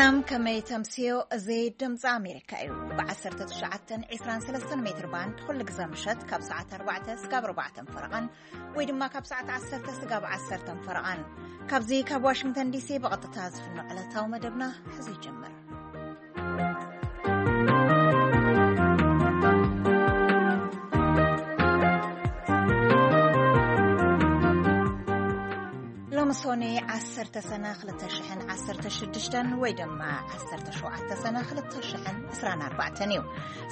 ሰላም፣ ከመይ ተምስዮ? እዚ ድምፂ ኣሜሪካ እዩ። ብ1923 ሜትር ባንድ ኩሉ ግዜ ምሸት ካብ ሰዓት ኣርባዕተ እስካብ ኣርባዕተ ፈረቓን ወይ ድማ ካብ ሰዓት ዓሰርተ እስካብ ዓሰርተ ፈረቓን። ካብዚ ካብ ዋሽንግተን ዲሲ ብቐጥታ ዝፍኖ ዕለታዊ መደብና ሕዚ ይጀምር። ሎሚ ሶኒ ዓሰርተ ሰነ ክልተ ሽሕን ዓሰርተ ሽዱሽተን ወይ ድማ ዓሰርተ ሸውዓተ ሰነ ክልተ ሽሕን ዕስራን ኣርባዕተን እዩ።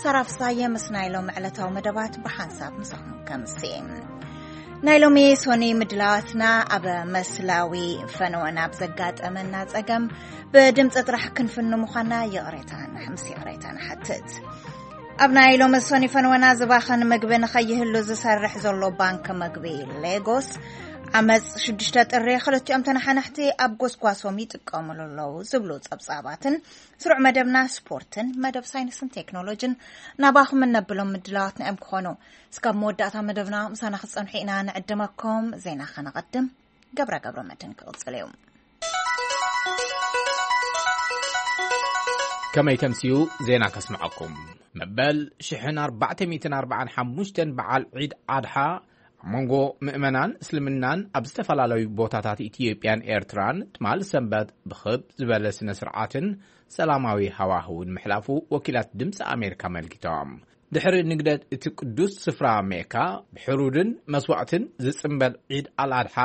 ሳራ ፍሳየ ምስ ናይ ሎሚ ዕለታዊ መደባት ብሓንሳብ ምሳኹም ከምሲ። ናይ ሎሚ ሶኒ ምድላዋትና ኣብ መስላዊ ፈነወን ኣብ ዘጋጠመና ጸገም ብድምፂ ጥራሕ ክንፍን ምዃና ይቕሬታ ንሕ-፣ ምስ ይቕሬታ ንሓትት። ኣብ ናይ ሎሚ ሶኒ ፈነወና ዝባኸን ምግቢ ንኸይህሉ ዝሰርሕ ዘሎ ባንክ ምግቢ ሌጎስ ዓመፅ ሽዱሽተ ጥሪ ክልቲኦም ተነሓናሕቲ ኣብ ጎስጓሶም ይጥቀምሉ ኣለዉ ዝብሉ ጸብጻባትን ስሩዕ መደብና ስፖርትን መደብ ሳይንስን ቴክኖሎጂን ናባኹም እነብሎም ምድላዋትና እዮም ክኾኑ። እስካብ መወዳእታ መደብና ምሳና ክትጸንሑ ኢና ንዕድመኩም። ዜና ከነቐድም፣ ገብረ ገብረ መድህን ክቕጽል እዩ። ከመይ ተምስዩ ዜና ከስምዐኩም። መበል ሽሕን ኣርባዕተ ሚእትን ኣርባዓን ሓሙሽተን በዓል ዒድ ኣድሓ ኣብ መንጎ ምእመናን እስልምናን ኣብ ዝተፈላለዩ ቦታታት ኢትዮጵያን ኤርትራን ትማል ሰንበት ብኽብ ዝበለ ስነ ስርዓትን ሰላማዊ ሃዋህውን ምሕላፉ ወኪላት ድምፂ ኣሜሪካ ኣመልኪቶም። ድሕሪ ንግደት እቲ ቅዱስ ስፍራ ሜካ ብሕሩድን መስዋዕትን ዝጽንበል ዒድ ኣልኣድሓ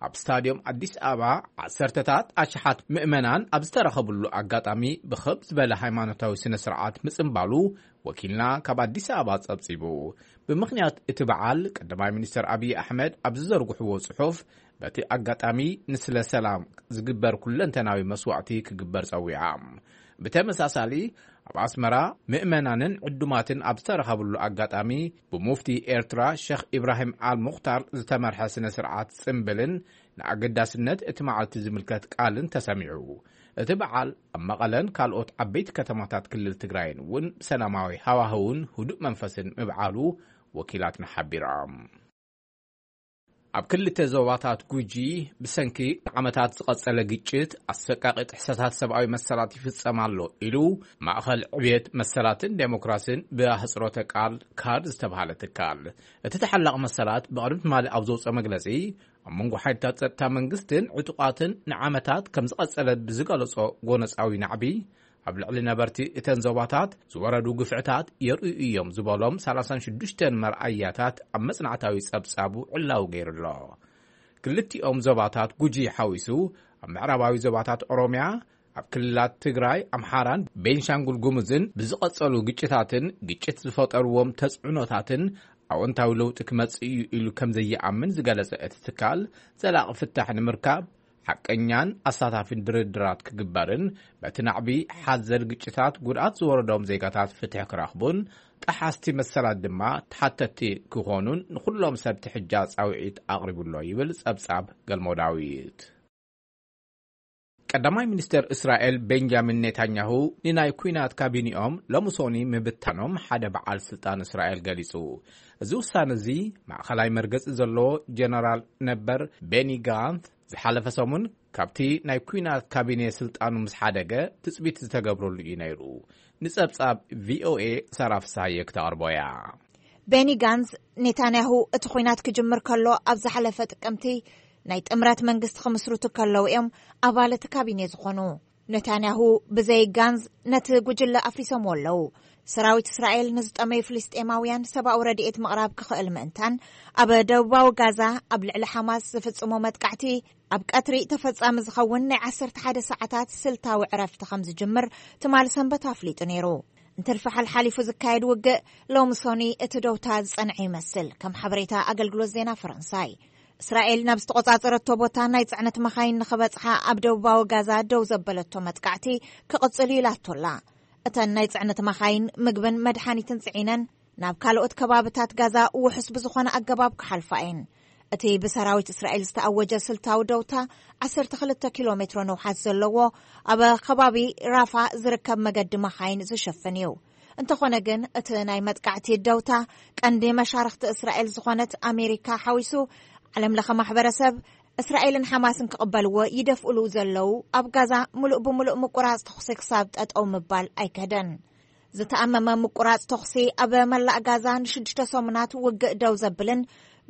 ኣብ ስታድዮም ኣዲስ ኣበባ ዓሰርተታት ኣሽሓት ምእመናን ኣብ ዝተረኸብሉ ኣጋጣሚ ብኽብ ዝበለ ሃይማኖታዊ ስነ ስርዓት ምጽንባሉ ወኪልና ካብ ኣዲስ ኣበባ ጸብጺቡ። ብምኽንያት እቲ በዓል ቀዳማይ ሚኒስተር ኣብይ ኣሕመድ ኣብ ዝዘርግሕዎ ጽሑፍ በቲ ኣጋጣሚ ንስለ ሰላም ዝግበር ኩለንተናዊ መስዋዕቲ ክግበር ጸዊዓ። ብተመሳሳሊ ኣብ ኣስመራ ምእመናንን ዕዱማትን ኣብ ዝተረኸብሉ ኣጋጣሚ ብሙፍቲ ኤርትራ ሸኽ ኢብራሂም ኣል ሙኽታር ዝተመርሐ ስነ ስርዓት ጽምብልን ንኣገዳስነት እቲ መዓልቲ ዝምልከት ቃልን ተሰሚዑ። እቲ በዓል ኣብ መቐለን ካልኦት ዓበይቲ ከተማታት ክልል ትግራይን እውን ብሰላማዊ ሃዋህውን ህዱእ መንፈስን ምብዓሉ ወኪላትና ሓቢሮም። ኣብ ክልተ ዞባታት ጉጂ ብሰንኪ ዓመታት ዝቐጸለ ግጭት ኣሰቃቂ ጥሕሰታት ሰብኣዊ መሰላት ይፍጸም ኣሎ ኢሉ ማእኸል ዕብየት መሰላትን ዴሞክራሲን ብኣህጽሮተ ቃል ካድ ዝተባህለ ትካል። እቲ ተሓላቒ መሰላት ብቕድሚ ትማሊ ኣብ ዘውፅኦ መግለጺ ኣብ መንጎ ሓይልታት ጸጥታ መንግስትን ዕጡቓትን ንዓመታት ከም ዝቐጸለ ብዝገለጾ ጎነጻዊ ናዕቢ ኣብ ልዕሊ ነበርቲ እተን ዞባታት ዝወረዱ ግፍዕታት የርእዩ እዮም ዝበሎም ሰላሳን ሽዱሽተን መርኣያታት ኣብ መጽናዕታዊ ጸብጻቡ ዕላዊ ገይሩ ኣሎ። ክልቲኦም ዞባታት ጉጂ ሓዊሱ ኣብ ምዕራባዊ ዞባታት ኦሮምያ፣ ኣብ ክልላት ትግራይ፣ ኣምሓራን ቤንሻንጉል ጉሙዝን ብዝቐጸሉ ግጭታትን ግጭት ዝፈጠርዎም ተጽዕኖታትን ኣወንታዊ ለውጢ ክመጽእ እዩ ኢሉ ከም ዘይኣምን ዝገለጸ እቲ ትካል፣ ዘላቒ ፍታሕ ንምርካብ ሓቀኛን ኣሳታፊን ድርድራት ክግበርን በቲ ናዕቢ ሓዘል ግጭታት ጉድኣት ዝወረዶም ዜጋታት ፍትሒ ክረኽቡን ጠሓስቲ መሰላት ድማ ተሓተትቲ ክኾኑን ንኹሎም ሰብ ትሕጃ ጻውዒት ኣቕሪቡ ኣሎ ይብል ጸብጻብ ገልሞ ዳዊት። ቀዳማይ ሚኒስተር እስራኤል ቤንጃሚን ኔታንያሁ ንናይ ኲናት ካቢኒኦም ሎሚ ሶኒ ምብታኖም ሓደ በዓል ስልጣን እስራኤል ገሊጹ። እዚ ውሳነ እዚ ማእኸላይ መርገጺ ዘለዎ ጀነራል ነበር ቤኒ ጋንት ዝሓለፈ ሰሙን ካብቲ ናይ ኲናት ካቢኔ ስልጣኑ ምስ ሓደገ ትጽቢት ዝተገብረሉ እዩ ነይሩ። ንጸብጻብ ቪኦኤ ሳራ ፍስሃየ ክተቕርቦ እያ። ቤኒ ጋንዝ፣ ኔታንያሁ እቲ ኲናት ክጅምር ከሎ ኣብ ዝሓለፈ ጥቅምቲ ናይ ጥምረት መንግስቲ ክምስርቱ ከለዉ እዮም ኣባል እቲ ካቢኔ ዝኾኑ። ኔታንያሁ ብዘይ ጋንዝ ነቲ ጉጅለ ኣፍሪሶምዎ ኣለዉ። ሰራዊት እስራኤል ንዝጠመዩ ፍልስጤማውያን ሰብኣዊ ረድኤት ምቕራብ ክኽእል ምእንታን ኣብ ደቡባዊ ጋዛ ኣብ ልዕሊ ሓማስ ዝፍጽሞ መጥቃዕቲ ኣብ ቀትሪ ተፈጻሚ ዝኸውን ናይ ዓሰርተ ሓደ ሰዓታት ስልታዊ ዕረፍቲ ከም ዝጅምር ትማሊ ሰንበት ኣፍሊጡ ነይሩ። እንትርፊ ሓልሓሊፉ ዝካየድ ውግእ ሎሚ ሶኒ እቲ ደውታ ዝጸንዐ ይመስል፣ ከም ሓበሬታ ኣገልግሎት ዜና ፈረንሳይ። እስራኤል ናብ ዝተቖጻጸረቶ ቦታ ናይ ጽዕነት መኻይን ንኽበጽሓ ኣብ ደቡባዊ ጋዛ ደው ዘበለቶ መጥቃዕቲ ክቕጽል እዩ ኢላቶላ። እተን ናይ ጽዕነት መኻይን ምግብን መድሓኒትን ጽዒነን ናብ ካልኦት ከባብታት ጋዛ ውሑስ ብዝኾነ ኣገባብ ክሓልፋ እየን። እቲ ብሰራዊት እስራኤል ዝተኣወጀ ስልታዊ ደውታ ዓሰርተ ክልተ ኪሎ ሜትሮ ንውሓት ዘለዎ ኣብ ከባቢ ራፋ ዝርከብ መገዲ መኻይን ዝሸፍን እዩ። እንተኾነ ግን እቲ ናይ መጥቃዕቲ ደውታ ቀንዲ መሻርኽቲ እስራኤል ዝኾነት ኣሜሪካ ሓዊሱ ዓለም ለኸ ማሕበረሰብ እስራኤልን ሓማስን ክቕበልዎ ይደፍእሉ ዘለዉ፣ ኣብ ጋዛ ምሉእ ብምሉእ ምቁራጽ ተኹሲ ክሳብ ጠጠው ምባል ኣይከደን። ዝተኣመመ ምቁራጽ ተኹሲ ኣብ መላእ ጋዛ ንሽዱሽተ ሰሙናት ውግእ ደው ዘብልን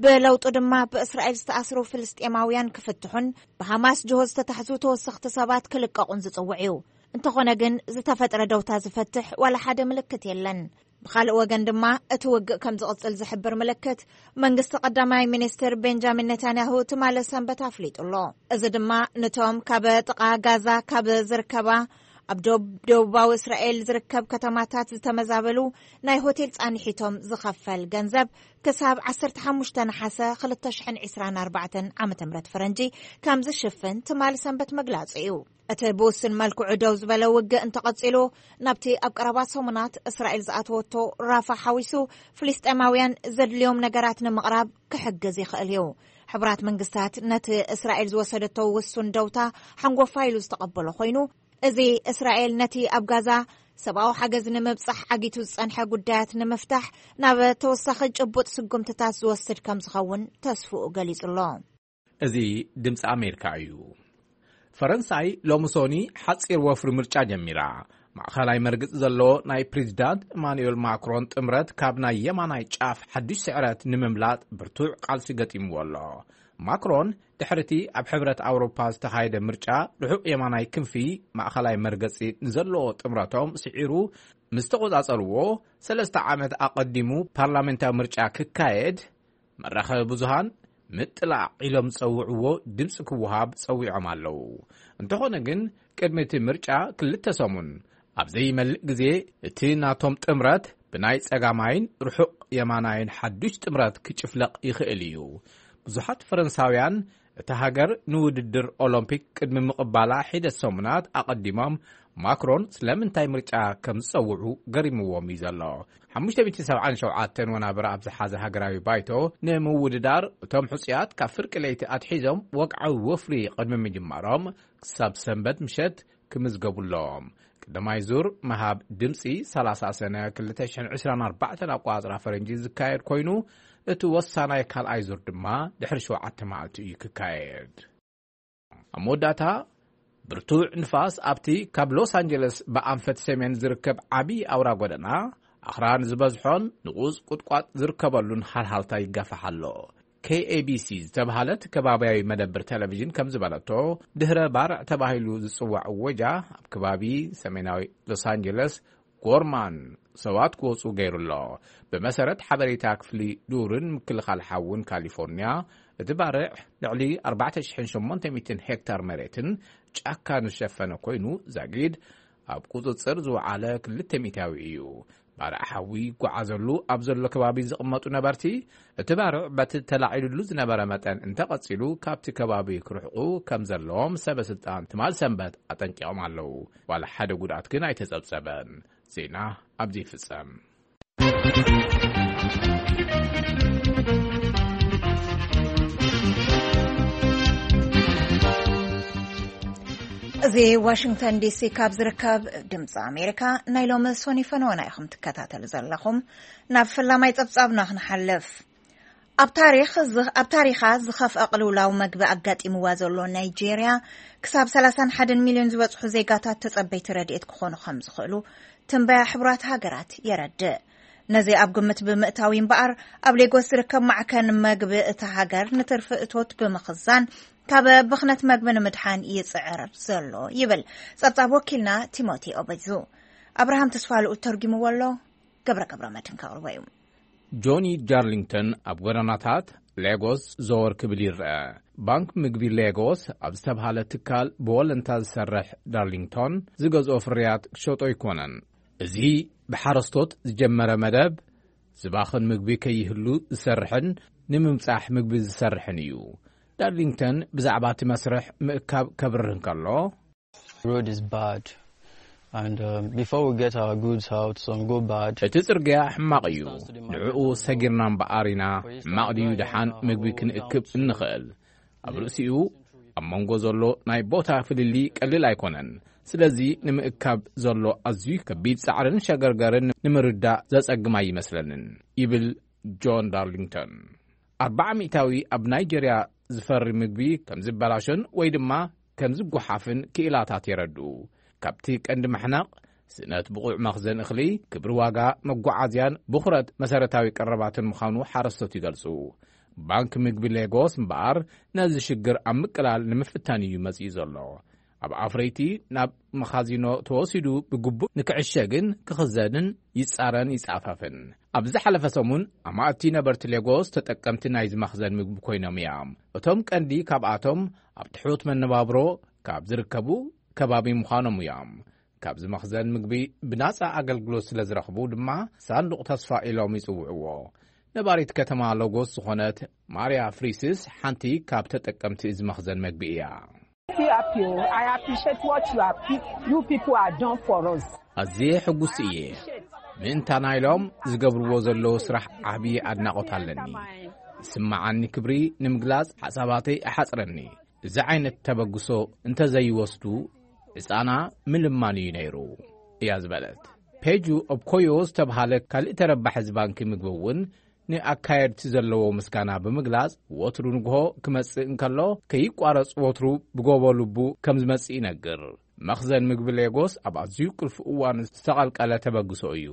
ብለውጡ ድማ ብእስራኤል ዝተኣስሩ ፍልስጤማውያን ክፍትሑን ብሓማስ ጅሆ ዝተታሕዙ ተወሰኽቲ ሰባት ክልቀቑን ዝጽውዕ እዩ። እንተኾነ ግን ዝተፈጥረ ደውታ ዝፈትሕ ዋላ ሓደ ምልክት የለን። ብኻልእ ወገን ድማ እቲ ውግእ ከም ዝቕጽል ዝሕብር ምልክት መንግስቲ ቀዳማይ ሚኒስትር ቤንጃሚን ኔታንያሁ ትማሊ ሰንበት ኣፍሊጡ ኣሎ። እዚ ድማ ነቶም ካብ ጥቓ ጋዛ ካብ ዝርከባ ኣብ ደቡብ ደቡባዊ እስራኤል ዝርከብ ከተማታት ዝተመዛበሉ ናይ ሆቴል ጻንሒቶም ዝኸፈል ገንዘብ ክሳብ ዓሰርተ ሓሙሽተ ነሓሰ ክልተ ሽሕን ዕስራን ኣርባዕተን ዓመተ ምህረት ፈረንጂ ከም ዝሽፍን ትማሊ ሰንበት መግላጹ እዩ። እቲ ብውሱን መልክዑ ደው ዝበለ ውግእ እንተቐጺሉ፣ ናብቲ ኣብ ቀረባ ሰሙናት እስራኤል ዝኣተወቶ ራፋ ሓዊሱ ፍልስጤማውያን ዘድልዮም ነገራት ንምቕራብ ክሕግዝ ይኽእል እዩ። ሕቡራት መንግስታት ነቲ እስራኤል ዝወሰደቶ ውሱን ደውታ ሓንጎፋ ኢሉ ዝተቐበሎ ኮይኑ፣ እዚ እስራኤል ነቲ ኣብ ጋዛ ሰብኣዊ ሓገዝ ንምብጻሕ ዓጊቱ ዝጸንሐ ጉዳያት ንምፍታሕ ናብ ተወሳኺ ጭቡጥ ስጉምትታት ዝወስድ ከም ዝኸውን ተስፍኡ ገሊጹ ኣሎ። እዚ ድምፂ ኣሜሪካ እዩ። ፈረንሳይ ሎሚ ሶኒ ሓፂር ወፍሪ ምርጫ ጀሚራ። ማእኸላይ መርግፂ ዘለዎ ናይ ፕሬዚዳንት ኢማኑኤል ማክሮን ጥምረት ካብ ናይ የማናይ ጫፍ ሓዱሽ ስዕረት ንምምላጥ ብርቱዕ ቃልሲ ገጢምዎ ኣሎ። ማክሮን ድሕርቲ ኣብ ሕብረት ኣውሮፓ ዝተኻየደ ምርጫ ርሑቕ የማናይ ክንፊ ማእኸላይ መርገፂ ንዘለዎ ጥምረቶም ስዒሩ ምስ ተቖጻጸርዎ፣ ሰለስተ ዓመት ኣቐዲሙ ፓርላሜንታዊ ምርጫ ክካየድ መራኸቢ ብዙሃን ምጥላዕ ኢሎም ዝጸውዕዎ ድምፂ ክወሃብ ጸዊዖም ኣለዉ። እንተኾነ ግን ቅድሚ እቲ ምርጫ ክልተ ሰሙን ኣብ ዘይመልእ ግዜ እቲ ናቶም ጥምረት ብናይ ጸጋማይን ርሑቕ የማናይን ሓዱሽ ጥምረት ክጭፍለቕ ይኽእል እዩ። ብዙሓት ፈረንሳውያን እታ ሃገር ንውድድር ኦሎምፒክ ቅድሚ ምቕባላ ሒደት ሰሙናት ኣቐዲሞም ማክሮን ስለምንታይ ምርጫ ከም ዝጸውዑ ገሪምዎም እዩ ዘሎ። ሓሙሽተ ሚእቲ ሰብዓን ሸውዓተን ወናብር ኣብ ዝሓዘ ሃገራዊ ባይቶ ንምውድዳር እቶም ሕጹያት ካብ ፍርቂ ለይቲ ኣትሒዞም ወግዓዊ ወፍሪ ቅድሚ ምጅማሮም ክሳብ ሰንበት ምሸት ክምዝገቡ ኣለዎም። ቀዳማይ ዙር ምሃብ ድምፂ ሰላሳ ሰነ ክልተ ሽሕን ዕስራን ኣርባዕተን ኣቆፃፅራ ፈረንጂ ዝካየድ ኮይኑ፣ እቲ ወሳናይ ካልኣይ ዙር ድማ ድሕሪ ሸውዓተ መዓልቲ እዩ ክካየድ። ኣብ መወዳእታ፣ ብርቱዕ ንፋስ ኣብቲ ካብ ሎስ ኣንጀለስ ብኣንፈት ሰሜን ዝርከብ ዓቢ ኣውራ ጎደና፣ ኣኽራን ዝበዝሖን ንቑጽ ቁጥቋጥ ዝርከበሉን ሃልሃልታ ይጋፋሕ ኣሎ። ኬ ኤ ቢ ሲ ዝተባህለት ከባብያዊ መደብር ቴሌቪዥን ከም ዝበለቶ፣ ድህረ ባርዕ ተባሂሉ ዝጽዋዕ እወጃ ኣብ ከባቢ ሰሜናዊ ሎስ ኣንጀለስ ጎርማን ሰባት ክወጹ ገይሩ ኣሎ። ብመሰረት ሓበሬታ ክፍሊ ዱርን ምክልኻል ሓውን ካሊፎርኒያ፣ እቲ ባርዕ ልዕሊ ኣርባዕተ ሽሕን ሸሞንተ ሚእትን ሄክታር መሬትን ጫካን ዝሸፈነ ኮይኑ፣ ዛጊድ ኣብ ቁጽጽር ዝወዓለ ክልተ ሚእታዊ እዩ። ባርዕ ሓዊ ይጓዓዘሉ ኣብ ዘሎ ከባቢ ዝቕመጡ ነበርቲ፣ እቲ ባርዕ በቲ ተላዒሉሉ ዝነበረ መጠን እንተቐጺሉ፣ ካብቲ ከባቢ ክርሕቑ ከም ዘለዎም ሰበ ስልጣን ትማል ሰንበት ኣጠንቂቖም ኣለዉ። ዋላ ሓደ ጉድኣት ግን ኣይተጸብጸበን። ዜና ኣብዚ ይፍጸም። እዚ ዋሽንግተን ዲ ሲ ካብ ዝርከብ ድምፂ ኣሜሪካ ናይ ሎሚ ሶኒ ፈነወና ኢኹም ትከታተሉ ዘለኹም። ናብ ፈላማይ ጸብጻብና ክንሓልፍ። ኣብ ታሪኽ ዝ-፣ ኣብ ታሪኻ ዝኸፍአ ቅልውላው መግቢ ኣጋጢምዋ ዘሎ ናይጄርያ፣ ክሳብ ሰላሳን ሓደን ሚልዮን ዝበጽሑ ዜጋታት ተጸበይቲ ረድኤት ክኾኑ ከም ዝኽእሉ ትንበያ ሕቡራት ሃገራት የረድእ። ነዚ ኣብ ግምት ብምእታው እምበኣር፣ ኣብ ሌጎስ ዝርከብ ማዕከን መግቢ እታ ሃገር ንትርፊ እቶት ብምኽዛን ካብ ብኽነት መግቢ ንምድሓን ይጽዕር ዘሎ ይብል ጸብጻብ ወኪልና ቲሞቲ ኦበዙ። ኣብርሃም ተስፋልኡ ተርጉምዎ ኣሎ፣ ገብረ ገብረ መድህን ከቕርቦ እዩ። ጆኒ ዳርሊንግተን ኣብ ጎደናታት ሌጎስ ዘወር ክብል ይረአ። ባንክ ምግቢ ሌጎስ ኣብ ዝተብሃለ ትካል ብወለንታ ዝሰርሕ ዳርሊንግቶን፣ ዝገዝኦ ፍርያት ክሸጦ ኣይኮነን። እዚ ብሓረስቶት ዝጀመረ መደብ፣ ዝባኽን ምግቢ ከይህሉ ዝሰርሕን ንምምጻሕ ምግቢ ዝሰርሕን እዩ። ዳርሊንግተን ብዛዕባ እቲ መስርሕ ምእካብ ከብርህ እንከሎ፣ Road is bad. And um, before we get our goods out, some go bad. እቲ ጽርግያ ሕማቕ እዩ። ንዕኡ ሰጊርና እምበኣር ኢና፣ ሕማቕ ድዩ ደሓን ምግቢ ክንእክብ እንኽእል። ኣብ ርእሲኡ፣ ኣብ መንጎ ዘሎ ናይ ቦታ ፍልልይ ቀሊል ኣይኮነን። ስለዚ፣ ንምእካብ ዘሎ ኣዝዩ ከቢድ ጻዕርን ሸገርገርን ንምርዳእ ዘጸግም ኣይመስለንን፣ ይብል ጆን ዳርሊንግተን። ኣርባዓ ሚእታዊ ኣብ ናይጀርያ ዝፈሪ ምግቢ ከም ዝበላሾን ወይ ድማ ከም ዝጓሓፍን ክኢላታት የረድኡ። ካብቲ ቀንዲ ምሕናቕ፣ ስእነት ብቑዕ መኽዘን እኽሊ፣ ክብሪ ዋጋ መጓዓዝያን ብኹረት መሰረታዊ ቀረባትን ምዃኑ ሓረስቶት ይገልጹ። ባንክ ምግቢ ሌጎስ እምበኣር፣ ነዚ ሽግር ኣብ ምቅላል ንምፍታን እዩ መጺኡ ዘሎ። ኣብ ኣፍረይቲ ናብ መኻዚኖ ተወሲዱ ብግቡእ ንክዕሸግን ክኽዘንን ይጻረን ይጻፈፍን። ኣብ ዝሓለፈ ሰሙን፣ ኣማእቲ ነበርቲ ሌጎስ ተጠቀምቲ ናይዚ መኽዘን ምግቢ ኮይኖም እዮም። እቶም ቀንዲ ካብኣቶም ኣብ ትሑት መነባብሮ ካብ ዝርከቡ ከባቢ ምዃኖም እዮም። ካብዚ መኽዘን ምግቢ ብናጻ ኣገልግሎት ስለ ዝረኽቡ ድማ፣ ሳንዱቕ ተስፋ ኢሎም ይጽውዕዎ። ነባሪት ከተማ ሎጎስ ዝኾነት ማርያ ፍሪስስ ሓንቲ ካብ ተጠቀምቲ እዚ መኽዘን መግቢ እያ። Happy, oh, I appreciate what you have, you people have done for us. ኣዝየ ሕጉስ እየ። ምእንታና ኢሎም ዝገብርዎ ዘለዉ ስራሕ ዓብዪ ኣድናቖት ኣለኒ። ዝስምዓኒ ክብሪ ንምግላጽ ሓሳባተይ እሓጽረኒ። እዚ ዓይነት ተበግሶ እንተዘይወስዱ፣ ዕጻና ምልማን እዩ ነይሩ፣ እያ ዝበለት። ፔጁ ኦብኮዮ ዝተብሃለ ካልእ ተረባሒ እዚ ባንኪ ምግቢ እውን ንኣካየድቲ ዘለዎ ምስጋና ብምግላጽ፣ ወትሩ ንግሆ ክመጽእ እንከሎ፣ ከይቋረጽ ወትሩ ብጎቦ ልቡ ከም ዝመጽእ ይነግር። መኽዘን ምግቢ ሌጎስ ኣብ ኣዝዩ ቁልፊ እዋን ዝተቐልቀለ ተበግሶ እዩ።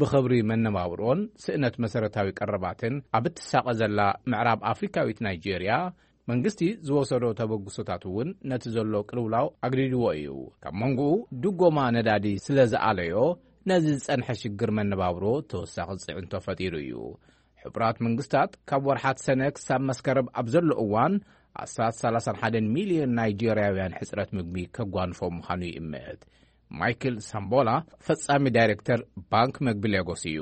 ብኽብሪ መነባብሮን ስእነት መሰረታዊ ቀረባትን ኣብ እትሳቐ ዘላ ምዕራብ ኣፍሪካዊት ናይጄርያ፣ መንግስቲ ዝወሰዶ ተበግሶታት እውን ነቲ ዘሎ ቅልውላው ኣግዲድዎ እዩ። ካብ መንጎኡ ድጎማ ነዳዲ ስለ ዝኣለዮ፣ ነዚ ዝጸንሐ ሽግር መነባብሮ ተወሳኺ ጽዕንቶ ፈጢሩ እዩ። ሕቡራት መንግስታት ካብ ወርሓት ሰነ ክሳብ መስከረም ኣብ ዘሎ እዋን፣ ኣስታት ሰላሳን ሓደን ሚልዮን ናይጄርያውያን ሕጽረት ምግቢ ከጓንፎም ምዃኑ ይእምት። ማይክል ሳምቦላ፣ ፈጻሚ ዳይሬክተር ባንክ መግቢ ሌጎስ እዩ።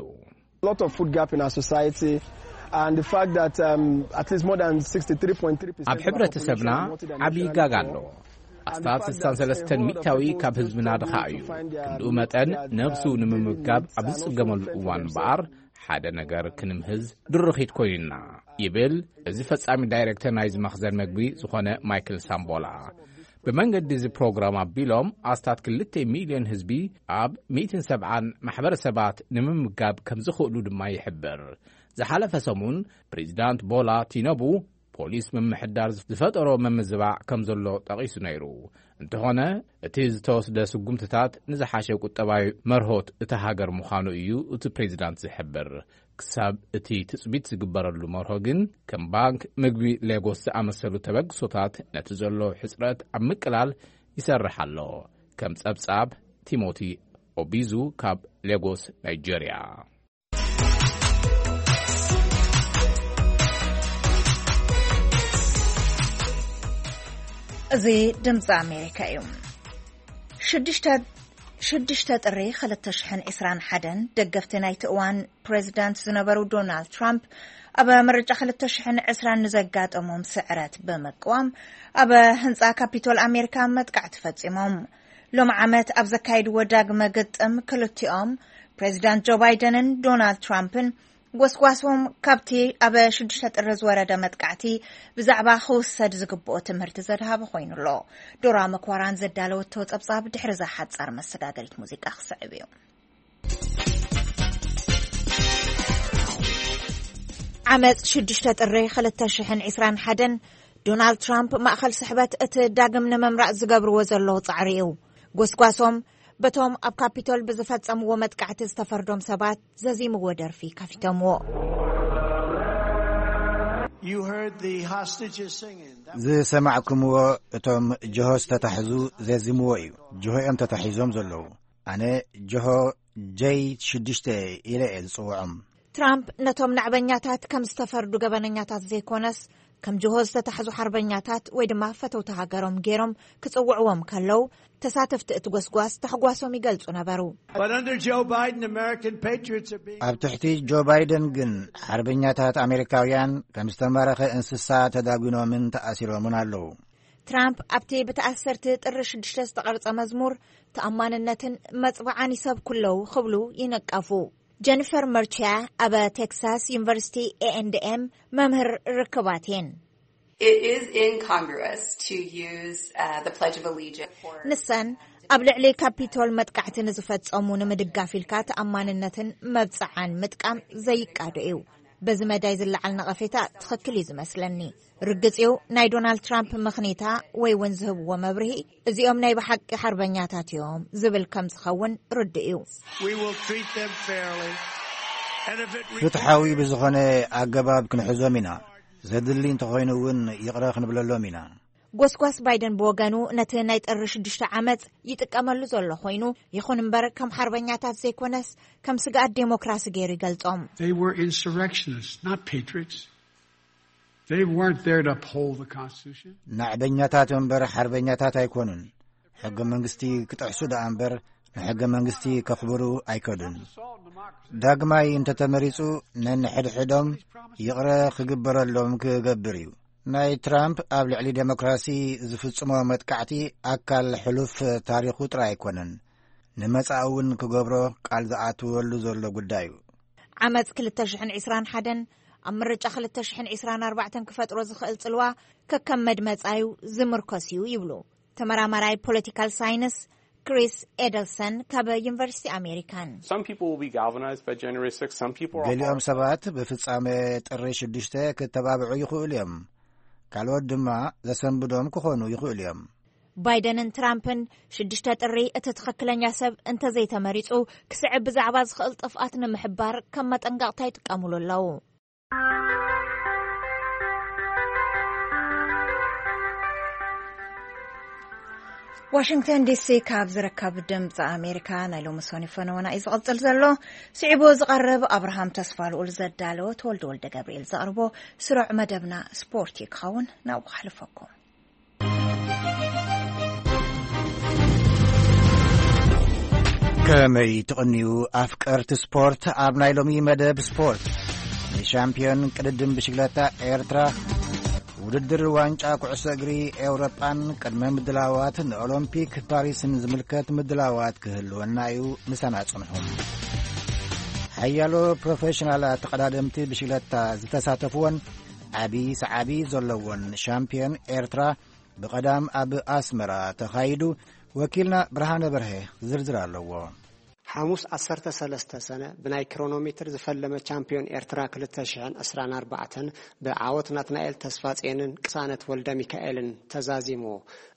Lot of food gap in our society, and the fact that, um, at least more than sixty-three point three percent ኣብ ሕብረተሰብና ዓብዪ ጋግ ኣሎ። ኣስታት ስሳን ሰለስተን ሚታዊ ካብ ህዝብና ድኻ እዩ። ክንድኡ መጠን፣ ነብሱ ንምምጋብ ኣብ ዝጽገመሉ እዋን እምበኣር፣ ሓደ ነገር ክንምህዝ ድርኺት ኮይኑና፣ ይብል እዚ ፈጻሚ ዳይሬክተር ናይዚ መኽዘን መግቢ ዝኾነ ማይክል ሳምቦላ። ብመንገዲ እዚ ፕሮግራም ኣቢሎም፣ ኣስታት ክልተ ሚልዮን ህዝቢ ኣብ ሚእትን ሰብዓን ማሕበረሰባት ንምምጋብ ከም ዝኽእሉ ድማ ይሕብር። ዝሓለፈ ሰሙን፣ ፕሬዚዳንት ቦላ ቲነቡ፣ ፖሊስ ምምሕዳር ዝፈጠሮ ምምዝባዕ ከም ዘሎ ጠቒሱ ነይሩ። እንተኾነ፣ እቲ ዝተወስደ ስጉምትታት ንዝሓሸ ቁጠባዊ መርሆት እታ ሃገር ምዃኑ እዩ እቲ ፕሬዚዳንት ዝሕብር። ክሳብ እቲ ትጽቢት ዝግበረሉ መርሆ ግን፣ ከም ባንክ ምግቢ ሌጎስ ዝኣመሰሉ ተበግሶታት ነቲ ዘሎ ሕጽረት ኣብ ምቅላል ይሰርሕ ኣሎ። ከም ጸብጻብ ቲሞቲ ኦቢዙ ካብ ሌጎስ፣ ናይጄርያ። እዚ ድምፂ ኣሜሪካ እዩ። ሽዱሽተ ሽዱሽተ ጥሪ ክልተ ሽሕን ዕስራን ሓደን፣ ደገፍቲ ናይቲ እዋን ፕሬዚዳንት ዝነበሩ ዶናልድ ትራምፕ፣ ኣብ ምርጫ ክልተ ሽሕን ዕስራን ንዘጋጠሞም ስዕረት ብምቅዋም፣ ኣብ ህንፃ ካፒቶል ኣሜሪካ መጥቃዕቲ ፈፂሞም። ሎም ዓመት ኣብ ዘካየድዎ ዳግመ ግጥም፣ ክልቲኦም ፕሬዚዳንት ጆ ባይደንን ዶናልድ ትራምፕን ጎስጓሶም ካብቲ ኣብ ሽዱሽተ ጥሪ ዝወረደ መጥቃዕቲ ብዛዕባ ክውሰድ ዝግብኦ ትምህርቲ ዘድሃበ ኮይኑ ኣሎ። ዶራ መኳራን ዘዳለወቶ ጸብጻብ ድሕሪ እዛ ሓጻር መሰጋገሪት ሙዚቃ ክስዕብ እዩ። ዓመጽ ሽዱሽተ ጥሪ ክልተ ሽሕን ዕስራን ሓደን፣ ዶናልድ ትራምፕ ማእከል ስሕበት እቲ ዳግም ንምምራጽ ዝገብርዎ ዘለዉ ጻዕሪ እዩ። ጎስጓሶም በቶም ኣብ ካፒቶል ብዝፈጸምዎ መጥቃዕቲ ዝተፈርዶም ሰባት ዘዚምዎ ደርፊ ከፊቶምዎ። You heard the hostages singing. That ዝሰማዕኩምዎ እቶም ጅሆ ዝተታሕዙ ዘዚምዎ እዩ። ጅሆ እዮም ተታሒዞም ዘለዉ። ኣነ ጅሆ ጀይ ሽዱሽተ ኢለ እየ ዝጽውዖም። ትራምፕ ነቶም ናዕበኛታት ከም ዝተፈርዱ ገበነኛታት ዘይኮነስ፣ ከም ጅሆ ዝተታሕዙ ሓርበኛታት ወይ ድማ ፈተውቲ ሃገሮም ገይሮም ክጽውዕዎም ከለዉ፣ ተሳተፍቲ እቲ ጎስጓስ ታሕጓሶም ይገልጹ ነበሩ። But under Joe Biden, American patriots are being ኣብ ትሕቲ ጆ ባይደን ግን፣ ሓርበኛታት ኣሜሪካውያን ከም ዝተማረኸ እንስሳ ተዳጒኖምን ተኣሲሮምን ኣለዉ። ትራምፕ ኣብቲ ብተኣሰርቲ ጥሪ ሽዱሽተ ዝተቐርጸ መዝሙር፣ ተኣማንነትን መጽብዓን ይሰብኩ ኣለዉ ክብሉ ይነቀፉ። ጀኒፈር መርቺያ ኣብ ቴክሳስ ዩኒቨርሲቲ ኤ ኤንድ ኤም መምህር ርክባት እየን። It is incongruous to use, uh, the Pledge of Allegiance for ንሰን ኣብ ልዕሊ ካፒቶል መጥቃዕቲ ንዝፈጸሙ ንምድጋፍ ኢልካ ተኣማንነትን መብጽዓን ምጥቃም ዘይቃዶ እዩ። በዚ መዳይ ዝለዓል ነቐፌታ ትኽክል እዩ ዝመስለኒ። ርግጽ እዩ፣ ናይ ዶናልድ ትራምፕ ምኽኒታ ወይ እውን ዝህብዎ መብርሂ፣ እዚኦም ናይ ብሓቂ ሓርበኛታት እዮም ዝብል ከም ዝኸውን ርዱእ እዩ። We will treat them fairly. And if it ፍትሓዊ ብዝኾነ ኣገባብ ክንሕዞም ኢና። ዘድሊ እንተኾይኑ እውን ይቕረ ክንብለሎም ኢና። ጎስጓስ ባይደን ብወገኑ ነቲ ናይ ጥሪ ሽዱሽተ ዓመጽ ይጥቀመሉ ዘሎ ኮይኑ፣ ይኹን እምበር ከም ሓርበኛታት ዘይኮነስ ከም ስግኣት ዴሞክራሲ ገይሩ ይገልጾም። They were insurrectionists, not patriots. They weren't there to uphold the Constitution. ናዕበኛታት እምበር ሓርበኛታት ኣይኮኑን። ሕገ መንግስቲ ክጥሕሱ ደኣ እምበር ንሕገ መንግስቲ ከኽብሩ ኣይከዱን። ዳግማይ እንተተመሪጹ ነንሕድሕዶም ይቕረ ክግበረሎም ክገብር እዩ። ናይ ትራምፕ ኣብ ልዕሊ ዴሞክራሲ ዝፍጽሞ መጥቃዕቲ ኣካል ሕሉፍ ታሪኹ ጥራይ ኣይኮነን፣ ንመጻኢ እውን ክገብሮ ቃል ዝኣትወሉ ዘሎ ጉዳይ እዩ። ዓመጽ ክልተ ሽሕን ዕስራን ሓደን ኣብ ምርጫ ክልተ ሽሕን ዕስራን ኣርባዕተን ክፈጥሮ ዝኽእል ጽልዋ ከከም መድመጻዩ ዝምርኮስ እዩ ይብሉ ተመራማራይ ፖለቲካል ሳይንስ ክሪስ ኤደልሰን ካብ ዩኒቨርሲቲ ኣሜሪካን። Some people will be galvanized by January sixth. Some people are ገሊኦም ሰባት ብፍጻመ ጥሪ ሽዱሽተ ክተባብዑ ይኽእሉ እዮም። ካልኦት ድማ ዘሰንብዶም ክኾኑ ይኽእሉ እዮም። ባይደንን ትራምፕን ሽዱሽተ ጥሪ እቲ ትኽክለኛ ሰብ እንተዘይተመሪጹ ክስዕብ ብዛዕባ ዝኽእል ጥፍኣት ንምሕባር ከም መጠንቀቕታ ይጥቀሙሉ ኣለዉ። ዋሽንግተን ዲሲ ካብ ዝርከብ ድምፂ ኣሜሪካ ናይ ሎሚ ሰኑይ ፈነወና እዩ ዝቕፅል ዘሎ። ስዒቡ ዝቐርብ ኣብርሃም ተስፋ ልኡል ዘዳለወ ተወልደ ወልደ ገብርኤል ዘቕርቦ ስሩዕ መደብና ስፖርት እዩ ክኸውን። ናብኡ ክሕልፈኩም። ከመይ ትቕንዩ ኣፍቀርቲ ስፖርት? ኣብ ናይ ሎሚ መደብ ስፖርት ንሻምፒዮን ቅድድም ብሽግለታ ኤርትራ፣ ውድድር ዋንጫ ኩዕሶ እግሪ ኤውሮጳን ቅድመ ምድላዋት ንኦሎምፒክ ፓሪስን ዝምልከት ምድላዋት ክህልወና እዩ። ምሳና ጽንሑ። ሓያሎ ፕሮፌሽናል ተቐዳደምቲ ብሽግለታ ዝተሳተፍዎን ዓቢ ሰዓቢ ዘለዎን ሻምፒዮን ኤርትራ ብቐዳም ኣብ ኣስመራ ተኻይዱ። ወኪልና ብርሃነ በርሀ ዝርዝር ኣለዎ። ሓሙስ ዓሰርተ ሰለስተ ሰነ ብናይ ኪሮኖሜትር ዝፈለመ ቻምፒዮን ኤርትራ ክልተ ሽሕን ዕስራን ኣርባዕተን ብዓወት ናትናኤል ተስፋጽዮንን ቅሳነት ወልደ ሚካኤልን ተዛዚሙ።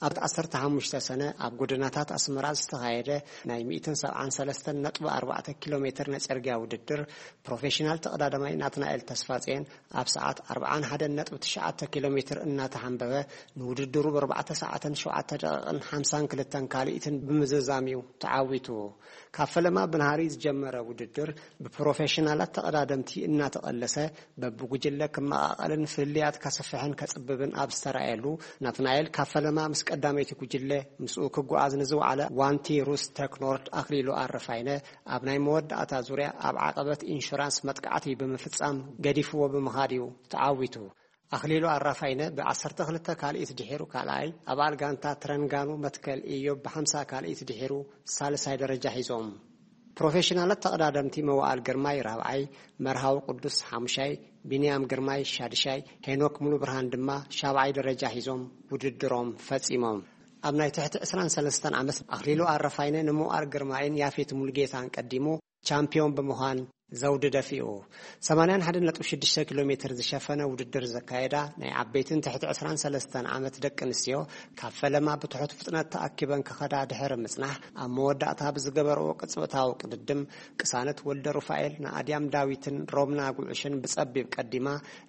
ኣብ ዓሰርተ ሓሙሽተ ሰነ ኣብ ጎደናታት ኣስመራ ዝተኻየደ ናይ ሚእትን ሰብዓን ሰለስተን ነጥቢ ኣርባዕተ ኪሎ ሜትር ናይ ጽርግያ ውድድር ፕሮፌሽናል ተቐዳዳማይ ናትናኤል ተስፋጽዮን ኣብ ሰዓት ኣርብዓን ሓደን ነጥቢ ትሽዓተ ኪሎ ሜትር እናተሓንበበ ንውድድሩ ብኣርባዕተ ሰዓትን ሸውዓተ ደቂቕን ሓምሳን ክልተን ካልኢትን ብምዝዛም እዩ ተዓዊቱ። ካብ ፈለማ ብናሃሪ ዝጀመረ ውድድር ብፕሮፌሽናላት ተቐዳደምቲ እናተቐለሰ በብጉጅለ ክመቓቐልን ፍልልያት ከስፍሕን ከጽብብን ኣብ ዝተራእየሉ፣ ናትናኤል ካብ ፈለማ ምስ ቀዳመይቲ ጉጅለ ምስኡ ክጓዓዝ ንዝወዓለ ዋንቲ ሩስ ተክኖርድ ኣኽሊሉ ኣረፋይነ ኣብ ናይ መወዳእታ ዙርያ ኣብ ዓቐበት ኢንሹራንስ መጥቃዕቲ ብምፍጻም ገዲፍዎ ብምኻድ እዩ ተዓዊቱ። ኣኽሊሉ ኣራፋይነ ብ ዓሰርተ ክልተ ካልኢት ድሒሩ ካልኣይ፣ ኣባል ጋንታ ትረንጋኑ መትከል ኢዮብ ብ ሓምሳ ካልኢት ድሒሩ ሳልሳይ ደረጃ ሒዞም። ፕሮፌሽናላት ተቐዳደምቲ መዋኣል ግርማይ ራብዓይ፣ መርሃዊ ቅዱስ ሓሙሻይ፣ ቢንያም ግርማይ ሻድሻይ፣ ሄኖክ ሙሉ ብርሃን ድማ ሻብዓይ ደረጃ ሒዞም ውድድሮም ፈጺሞም። ኣብ ናይ ትሕቲ ዕስራን ሰለስተን ዓመት ኣኽሊሉ ኣረፋይነ ንመዋኣል ግርማይን ያፌት ሙሉጌታን ቀዲሙ ቻምፒዮን ብምዃን ዘውዲ ደፊኡ። ሰማንያን ሓደን ነጥቢ ሽዱሽተ ኪሎ ሜትር ዝሸፈነ ውድድር ዘካየዳ ናይ ዓበይትን ትሕቲ ዕስራን ሰለስተን ዓመት ደቂ ኣንስትዮ ካብ ፈለማ ብትሑት ፍጥነት ተኣኪበን ክኸዳ ድሕሪ ምጽናሕ፣ ኣብ መወዳእታ ብዝገበርኦ ቅጽበታዊ ቅድድም ቅሳነት ወልደ ሩፋኤል ንኣድያም ዳዊትን ሮምና ጉዕሽን ብጸቢብ ቀዲማ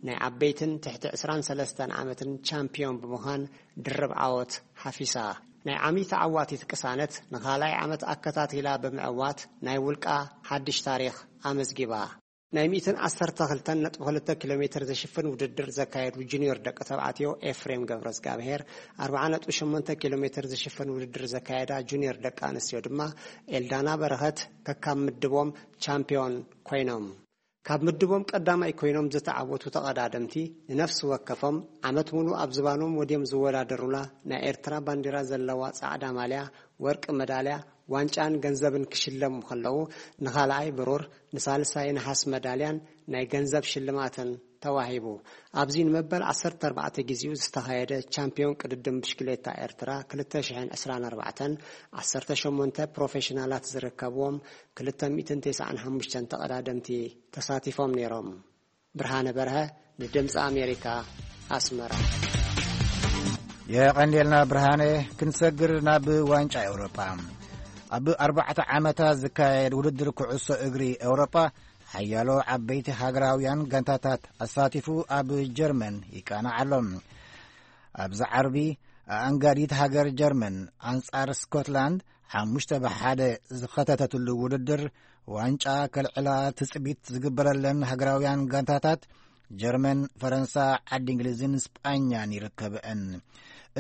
ናይ ዓበይትን ትሕቲ ዕስራን ሰለስተን ዓመትን ቻምፒዮን ብምዃን ድርብ ዓወት ሓፊሳ። ናይ ዓሚ ተዓዋቲት ቅሳነት ንኻልኣይ ዓመት ኣከታቲላ ብምዕዋት ናይ ውልቃ ሓድሽ ታሪኽ ኣመዝጊባ። ናይ ሚእትን ዓሰርተ ክልተን ነጥቢ ክልተ ኪሎ ሜትር ዝሽፍን ውድድር ዘካየዱ ጁኒዮር ደቂ ተባዕትዮ ኤፍሬም ገብረዝጋብሄር ኣርብዓ ነጥቢ ሸሞንተ ኪሎ ሜትር ዝሽፍን ውድድር ዘካየዳ ጁኒዮር ደቂ ኣንስትዮ ድማ ኤልዳና በረኸት ከካብ ምድቦም ቻምፒዮን ኮይኖም። ካብ ምድቦም ቀዳማይ ኮይኖም ዝተዓወቱ ተቐዳደምቲ ንነፍሲ ወከፎም ዓመት ሙሉ ኣብ ዝባኖም ወድዮም ዝወዳደሩላ ናይ ኤርትራ ባንዲራ ዘለዋ ጻዕዳ ማልያ፣ ወርቂ መዳልያ፣ ዋንጫን ገንዘብን ክሽለሙ ከለዉ፣ ንኻልኣይ ብሩር፣ ንሳልሳይ ነሓስ መዳልያን ናይ ገንዘብ ሽልማትን ተዋሂቡ። ኣብዚ ንመበል ዓሰርተ ኣርባዕተ ግዜኡ ዝተኻየደ ቻምፒዮን ቅድድም ብሽክሌታ ኤርትራ ክልተ ሽሕን ዕስራን ኣርባዕተን ዓሰርተ ሸሞንተ ፕሮፌሽናላት ዝርከብዎም ክልተ ሚእትን ተስዓን ሓሙሽተን ተቐዳደምቲ ተሳቲፎም ነይሮም። ብርሃነ በርሀ ንድምፂ ኣሜሪካ ኣስመራ። የቐንዴልና ብርሃነ። ክንሰግር ናብ ዋንጫ ኤውሮጳ። ኣብ ኣርባዕተ ዓመታት ዝካየድ ውድድር ኩዕሶ እግሪ ኤውሮጳ ሓያሎ ዓበይቲ ሃገራውያን ጋንታታት ኣሳቲፉ ኣብ ጀርመን ይቃናዕ ኣሎ። ኣብዚ ዓርቢ ኣኣንጋዲት ሃገር ጀርመን ኣንጻር ስኮትላንድ ሓሙሽተ ብሓደ ዝኸተተትሉ ውድድር ዋንጫ ከልዕላ ትጽቢት ዝግበረለን ሃገራውያን ጋንታታት ጀርመን፣ ፈረንሳ፣ ዓዲ እንግሊዝን ስጳኛን ይርከብአን።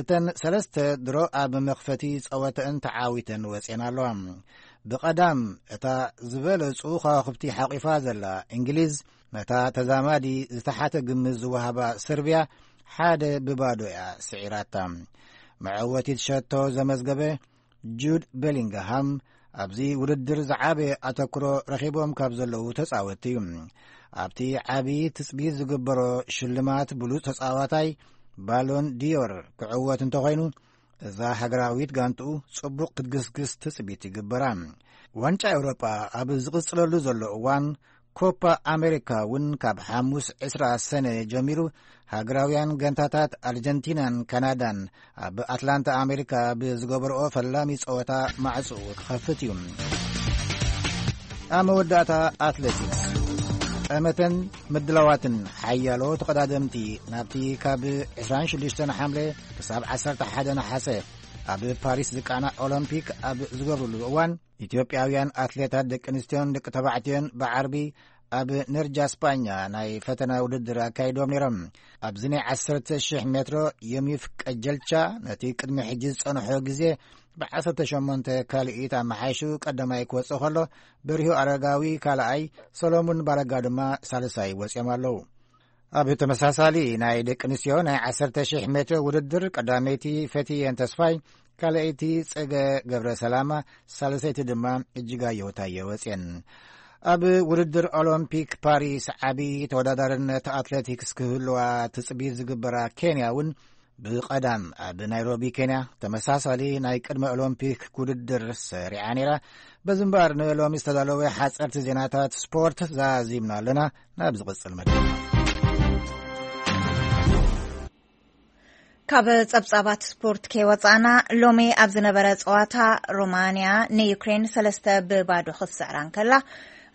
እተን ሰለስተ ድሮ ኣብ መኽፈቲ ጸወተአን ተዓዊተን ወጺአን ኣለዋ። ብቐዳም እታ ዝበለጹ ከዋኽብቲ ሓቂፋ ዘላ እንግሊዝ፣ ነታ ተዛማዲ ዝተሓተ ግምት ዝወሃባ ሰርቢያ ሓደ ብባዶ እያ ስዒራታ። መዐወቲት ሸቶ ዘመዝገበ ጁድ ቤሊንግሃም ኣብዚ ውድድር ዝዓበየ ኣተኩሮ ረኺቦም ካብ ዘለዉ ተጻወትቲ እዩ። ኣብቲ ዓቢ ትጽቢት ዝግበሮ ሽልማት ብሉጽ ተጻዋታይ ባሎን ዲዮር ክዕወት እንተኾይኑ፣ እዛ ሃገራዊት ጋንትኡ ጽቡቕ ክትግስግስ ትጽቢት ይግበራ። ዋንጫ ኤውሮጳ ኣብ ዝቕጽለሉ ዘሎ እዋን፣ ኮፓ ኣሜሪካ እውን ካብ ሓሙስ ዕስራ ሰነ ጀሚሩ ሃገራውያን ጋንታታት ኣርጀንቲናን ካናዳን ኣብ ኣትላንታ ኣሜሪካ ብዝገበርኦ ፈላሚ ጸወታ ማዕጽኡ ክኸፍት እዩ። ኣብ መወዳእታ ኣትሌቲክስ። ጠመተን ምድላዋትን ሓያሎ ተቐዳደምቲ ናብቲ ካብ ዕስራን ሽዱሽተን ሓምለ ክሳብ ዓሰርተ ሓደ ነሓሰ ኣብ ፓሪስ ዝቃናዕ ኦሎምፒክ ኣብ ዝገብርሉ እዋን፣ ኢትዮጵያውያን ኣትሌታት ደቂ ኣንስትዮን ደቂ ተባዕትዮን ብዓርቢ ኣብ ነርጃ ስጳኛ ናይ ፈተና ውድድር ኣካይዶም ነይሮም። ኣብዚ ናይ ዓሰርተ ሺሕ ሜትሮ ዮሚፍ ቀጀልቻ ነቲ ቅድሚ ሕጂ ዝጸንሖ ግዜ ብዓሰርተ ሸሞንተ ካልኢት ኣመሓይሹ ቀዳማይ ክወጽእ ከሎ፣ በሪሁ ኣረጋዊ ካልኣይ፣ ሰሎሙን ባረጋ ድማ ሳልሳይ ወጺኦም ኣለዉ። ኣብ ተመሳሳሊ ናይ ደቂ ኣንስትዮ ናይ ዓሰርተ ሺሕ ሜትሮ ውድድር ቀዳመይቲ ፈትየን ተስፋይ፣ ካልኣይቲ ጸገ ገብረ ሰላማ፣ ሳልሰይቲ ድማ እጅጋየሁ ታየ ወጽየን። ኣብ ውድድር ኦሎምፒክ ፓሪስ ዓቢ ተወዳዳርነት ኣትሌቲክስ ክህልዋ ትጽቢት ዝግበራ ኬንያ እውን ብቐዳም ኣብ ናይሮቢ ኬንያ ተመሳሳሊ ናይ ቅድመ ኦሎምፒክ ውድድር ሰሪዓ ነይራ። በዚ እምበኣር ንሎሚ ዝተዳለወ ሓጸርቲ ዜናታት ስፖርት ዛዚምና ኣለና። ናብ ዝቕጽል መደብ። ካብ ጸብጻባት ስፖርት ከይወጻእና፣ ሎሚ ኣብ ዝነበረ ጸዋታ ሮማንያ ንዩክሬን ሰለስተ ብባዶ ክትስዕራ እንከላ፣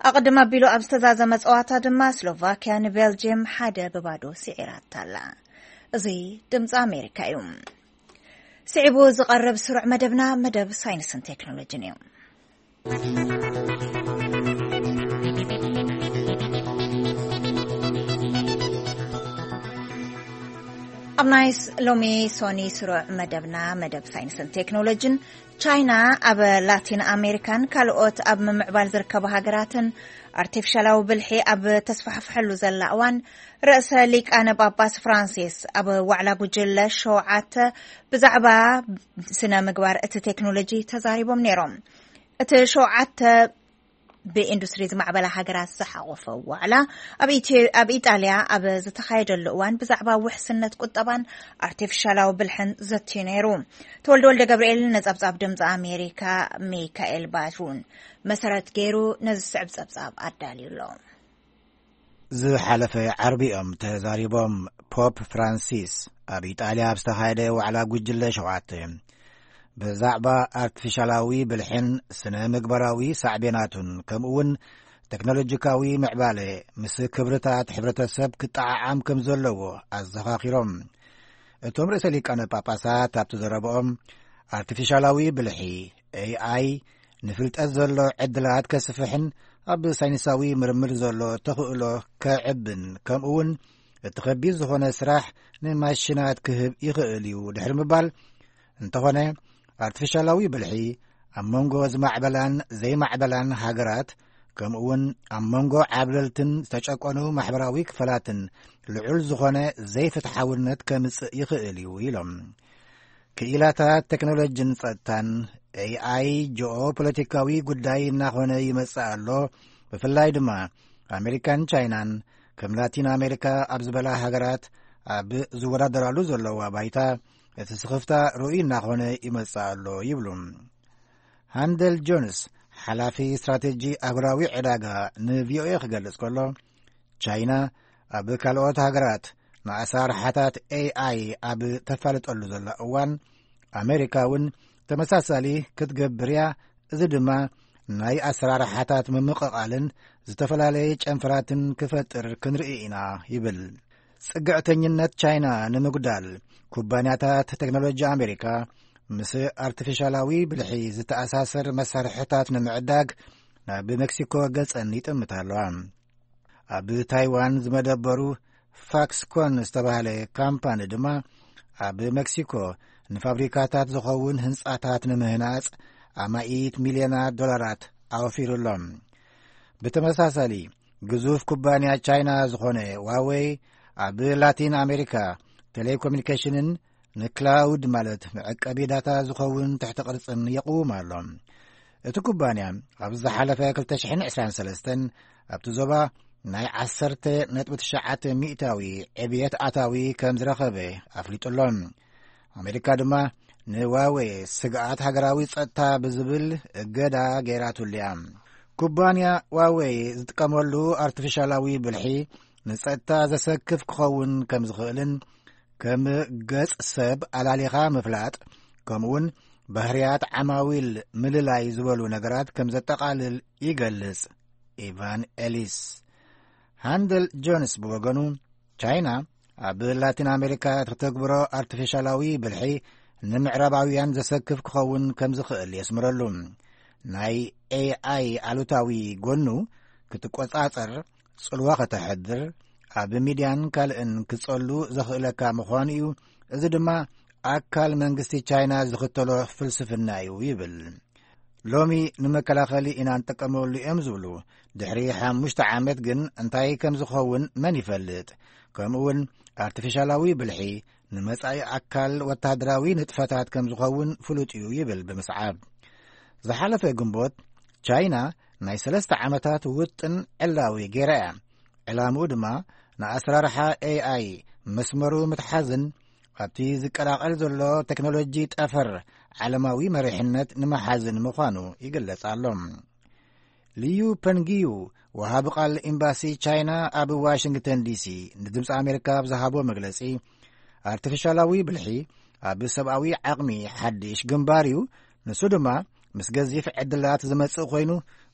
ኣቕድም ኣቢሉ ኣብ ዝተዛዘመ ጸዋታ ድማ ስሎቫክያ ንቤልጅየም ሓደ ብባዶ ስዒራታ ኣላ። እዚ ድምጺ ኣሜሪካ እዩ። ስዒቡ ዝቐርብ ስሩዕ መደብና መደብ ሳይንስን ቴክኖሎጂን እዩ። ኣብ ናይ ስ-፣ ሎሚ ሶኒ ስሩዕ መደብና፣ መደብ ሳይንስን ቴክኖሎጂን፣ ቻይና ኣብ ላቲን ኣሜሪካን ካልኦት ኣብ ምምዕባል ዝርከቡ ሃገራትን ኣርቲፊሻላዊ ብልሒ ኣብ ተስፋሕፍሐሉ ዘላ እዋን፣ ርእሰ ሊቃነ ጳጳስ ፍራንሲስ ኣብ ዋዕላ ጉጅለ ሸውዓተ ብዛዕባ ስነ ምግባር እቲ ቴክኖሎጂ ተዛሪቦም ነይሮም። እቲ ሸውዓተ ብኢንዱስትሪ ዝማዕበላ ሃገራት ዝሓቖፈ ዋዕላ ኣብ ኢትዮ-፣ ኣብ ኢጣልያ ኣብ ዝተኻየደሉ እዋን ብዛዕባ ውሕስነት ቁጠባን ኣርቲፊሻላዊ ብልሕን ዘትዩ ነይሩ። ተወልደ ወልደ ገብርኤል ንጸብጻብ ድምጺ ኣሜሪካ ሚካኤል ባትሩን መሰረት ገይሩ ነዚ ዝስዕብ ጸብጻብ ኣዳልዩ ኣሎ። ዝሓለፈ ዓርቢ እዮም ተዛሪቦም። ፖፕ ፍራንሲስ ኣብ ኢጣልያ ኣብ ዝተኻየደ ዋዕላ ጉጅለ ሸውዓተ ብዛዕባ ኣርቲፊሻላዊ ብልሕን ስነ ምግባራዊ ሳዕቤናቱን፣ ከምኡ እውን ቴክኖሎጂካዊ ምዕባለ ምስ ክብርታት ሕብረተሰብ ክጠዓዓም ከም ዘለዎ ኣዘኻኺሮም። እቶም ርእሰ ሊቃነ ጳጳሳት ኣብቲ ዘረብኦም፣ ኣርቲፊሻላዊ ብልሒ፣ ኤ ኣይ፣ ንፍልጠት ዘሎ ዕድላት ከስፍሕን ኣብ ሳይንሳዊ ምርምር ዘሎ ተኽእሎ ከዕብን፣ ከምኡ እውን እቲ ከቢድ ዝኾነ ስራሕ ንማሽናት ክህብ ይኽእል እዩ ድሕሪ ምባል፣ እንተኾነ ኣርቲፊሻላዊ ብልሒ ኣብ መንጎ ዝማዕበላን ዘይማዕበላን ሃገራት፣ ከምኡ እውን ኣብ መንጎ ዓብለልትን ዝተጨቆኑ ማሕበራዊ ክፈላትን ልዑል ዝኾነ ዘይፍትሓውነት ከምጽእ ይኽእል እዩ ኢሎም። ክኢላታት ቴክኖሎጂን ጸጥታን፣ ኤ ኣይ ጂኦ ፖለቲካዊ ጉዳይ እናኾነ ይመጽእ ኣሎ። ብፍላይ ድማ ኣሜሪካን ቻይናን ከም ላቲን ኣሜሪካ ኣብ ዝበላ ሃገራት ኣብ ዝወዳደራሉ ዘለዋ ባይታ፣ እቲ ስኽፍታ ርኡይ እናኾነ ይመጽእ ኣሎ ይብሉ። ሃንደል ጆንስ፣ ሓላፊ ስትራቴጂ ኣህጉራዊ ዕዳጋ፣ ንቪኦኤ ክገልጽ ከሎ፣ ቻይና ኣብ ካልኦት ሃገራት ንኣሰራርሓታት ኤኣይ ኣብ ተፋልጠሉ ዘላ እዋን፣ ኣሜሪካ እውን ተመሳሳሊ ክትገብር እያ። እዚ ድማ ናይ ኣሰራርሓታት ምምቕቓልን ዝተፈላለየ ጨንፈራትን ክፈጥር ክንርኢ ኢና ይብል። ጽግዕተኝነት ቻይና ንምጉዳል፣ ኩባንያታት ቴክኖሎጂ ኣሜሪካ ምስ ኣርቲፊሻላዊ ብልሒ ዝተኣሳሰር መሳርሕታት ንምዕዳግ ናብ ሜክሲኮ ገጸን ይጥምታ ኣለዋ። ኣብ ታይዋን ዝመደበሩ ፋክስኮን ዝተባህለ ካምፓኒ ድማ ኣብ ሜክሲኮ ንፋብሪካታት ዝኸውን ህንጻታት ንምህናጽ ኣማኢት ሚልዮናት ዶላራት ኣወፊሩ ኣሎ። ብተመሳሳሊ፣ ግዙፍ ኩባንያ ቻይና ዝኾነ ዋዌይ ኣብ ላቲን ኣሜሪካ ቴሌኮሙኒኬሽንን ንክላውድ ማለት መዕቀቢ ዳታ ዝኸውን ትሕቲ ቅርጽን የቕውም ኣሎ። እቲ ኩባንያ ኣብ ዝሓለፈ ክልተ ሽሕን ዕስራን ሰለስተን ኣብቲ ዞባ ናይ ዓሰርተ ነጥቢ ትሽዓተ ሚእታዊ ዕብየት ኣታዊ ከም ዝረኸበ ኣፍሊጡ ኣሎ። ኣሜሪካ ድማ ንዋዌ ስግኣት ሃገራዊ ጸጥታ ብዝብል እገዳ ገይራትሉ እያ። ኩባንያ ዋዌ ዝጥቀመሉ ኣርቲፊሻላዊ ብልሒ ንጸጥታ ዘሰክፍ ክኸውን ከም ዝኽእልን ከም ገጽ ሰብ ኣላሊኻ ምፍላጥ፣ ከምኡውን ባህርያት ዓማዊል ምልላይ ዝበሉ ነገራት ከም ዘጠቓልል ይገልጽ ኢቫን ኤሊስ። ሃንደል ጆንስ ብወገኑ፣ ቻይና ኣብ ላቲን ኣሜሪካ እተተግብሮ ኣርቲፊሻላዊ ብልሒ ንምዕራባውያን ዘሰክፍ ክኸውን ከም ዝኽእል የስምረሉ። ናይ ኤኣይ ኣሉታዊ ጎኑ ክትቆጻጸር፣ ጽልዋ ከተሕድር፣ ኣብ ሚድያን ካልእን ክጸሉ ዘኽእለካ ምዃኑ እዩ። እዚ ድማ ኣካል መንግስቲ ቻይና ዝኽተሎ ፍልስፍና እዩ ይብል። ሎሚ ንመከላኸሊ ኢና ንጥቀመሉ እዮም ዝብሉ፣ ድሕሪ ሓሙሽተ ዓመት ግን እንታይ ከም ዝኸውን መን ይፈልጥ? ከምኡውን ኣርቲፊሻላዊ ብልሒ ንመጻኢ ኣካል ወታደራዊ ንጥፈታት ከም ዝኸውን ፍሉጥ እዩ ይብል ብምስዓብ። ዝሓለፈ ግንቦት፣ ቻይና ናይ ሰለስተ ዓመታት ውጥን ዕላዊ ገይራ እያ። ዕላምኡ ድማ ንኣሰራርሓ ኤኣይ መስመሩ ምትሓዝን ኣብቲ ዝቀላቐል ዘሎ ቴክኖሎጂ ጠፈር ዓለማዊ መሪሕነት ንምሓዝን ምዃኑ ይግለጽ ኣሎ። ሊዩ ፐንጊዩ፣ ወሃቢ ቃል ኤምባሲ ቻይና ኣብ ዋሽንግተን ዲሲ፣ ንድምፂ ኣሜሪካ ኣብ ዝሃቦ መግለጺ፣ ኣርቲፊሻላዊ ብልሒ ኣብ ሰብኣዊ ዓቕሚ ሓድሽ ግንባር እዩ። ንሱ ድማ ምስ ገዚፍ ዕድላት ዝመጽእ ኮይኑ፣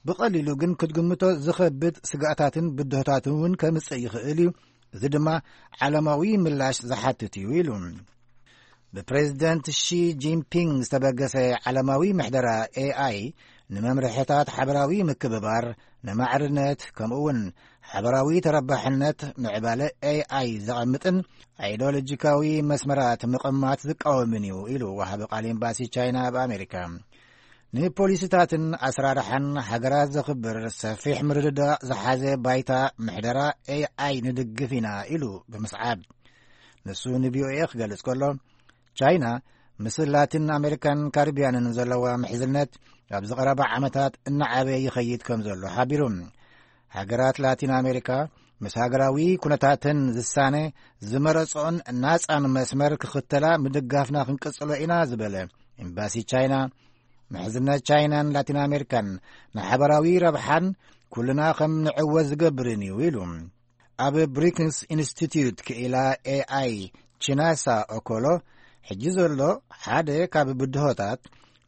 ብቐሊሉ ግን ክትግምቶ ዝኸብድ ስጋእታትን ብድሆታትን እውን ከምጽእ ይኽእል እዩ። እዚ ድማ ዓለማዊ ምላሽ ዝሓትት እዩ ኢሉ። ብፕሬዚደንት ሺ ጂንፒንግ ዝተበገሰ ዓለማዊ ምሕደራ ኤኣይ ንመምርሕታት ሓበራዊ ምክብባር፣ ንማዕርነት፣ ከምኡ እውን ሓበራዊ ተረባሕነት ምዕባለ ኤኣይ ዘቐምጥን ኣይዲዮሎጂካዊ መስመራት ምቕማት ዝቃወምን እዩ ኢሉ ወሃቢ ቃል ኤምባሲ ቻይና ኣብ ኣሜሪካ። ንፖሊሲታትን ኣሰራርሓን ሃገራት ዘኽብር ሰፊሕ ምርድዳእ ዝሓዘ ባይታ ምሕደራ ኤኣይ ንድግፍ ኢና ኢሉ ብምስዓብ፣ ንሱ ንቪኦኤ ክገልጽ ከሎ፣ ቻይና ምስ ላቲን ኣሜሪካን ካሪብያንን ዘለዋ ምሕዝነት ኣብዚ ቀረባ ዓመታት እናዓበየ ይኸይድ ከም ዘሎ ሓቢሩ። ሃገራት ላቲን ኣሜሪካ ምስ ሃገራዊ ኩነታተን ዝሳነ ዝመረጽኦን ናጻን መስመር ክኽተላ ምድጋፍና ክንቅጽሎ ኢና ዝበለ ኤምባሲ ቻይና፣ ምሕዝነት ቻይናን ላቲን ኣሜሪካን ንሓበራዊ ረብሓን ኩልና ከም ንዕወት ዝገብርን እዩ ኢሉ። ኣብ ብሪክንስ ኢንስቲትዩት ክኢላ ኤኣይ ቺናሳ ኦኮሎ፣ ሕጂ ዘሎ ሓደ ካብ ብድሆታት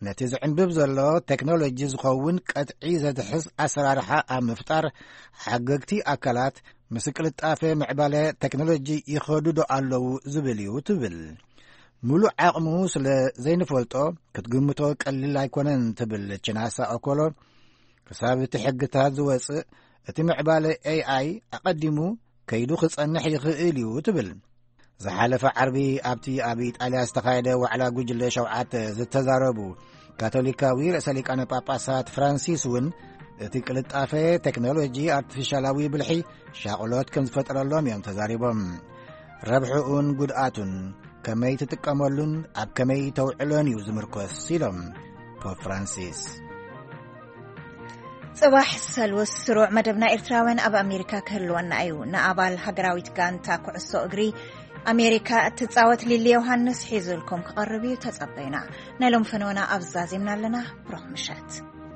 ነቲ ዝዕንብብ ዘሎ ቴክኖሎጂ ዝኸውን ቀጥዒ ዘትሕዝ ኣሰራርሓ ኣብ ምፍጣር ሓገግቲ ኣካላት ምስ ቅልጣፈ ምዕባለ ቴክኖሎጂ ይኸዱ ዶ ኣለዉ ዝብል እዩ ትብል። ሙሉእ ዓቕሙ ስለ ዘይንፈልጦ ክትግምቶ ቀሊል ኣይኮነን ትብል ቺናሳ ኦኮሎ። ክሳብ እቲ ሕግታት ዝወጽእ እቲ ምዕባለ ኤኣይ ኣቐዲሙ ከይዱ ክጸንሕ ይኽእል እዩ ትብል። ዝሓለፈ ዓርቢ ኣብቲ ኣብ ኢጣልያ ዝተኻየደ ዋዕላ ጉጅለ ሸውዓተ ዝተዛረቡ ካቶሊካዊ ርእሰ ሊቃነ ጳጳሳት ፍራንሲስ እውን እቲ ቅልጣፈ ቴክኖሎጂ ኣርቲፊሻላዊ ብልሒ ሻቕሎት ከም ዝፈጠረሎም እዮም ተዛሪቦም። ረብሕኡን ጉድኣቱን ከመይ ትጥቀመሉን ኣብ ከመይ ተውዕሎን እዩ ዝምርኮስ ኢሎም ፖፕ ፍራንሲስ። ጽባሕ ሰሉስ ስሩዕ መደብና ኤርትራውያን ኣብ ኣሜሪካ ክህልወና እዩ። ንኣባል ሃገራዊት ጋንታ ኩዕሶ እግሪ ኣሜሪካ እትጻወት ሊሊ ዮሃንስ ሒዙልኩም ክቐርብ እዩ። ተጸበዩና። ናይ ሎም ፈነወና ኣብ ዛዚምና ኣለና። ብሩኽ ምሸት።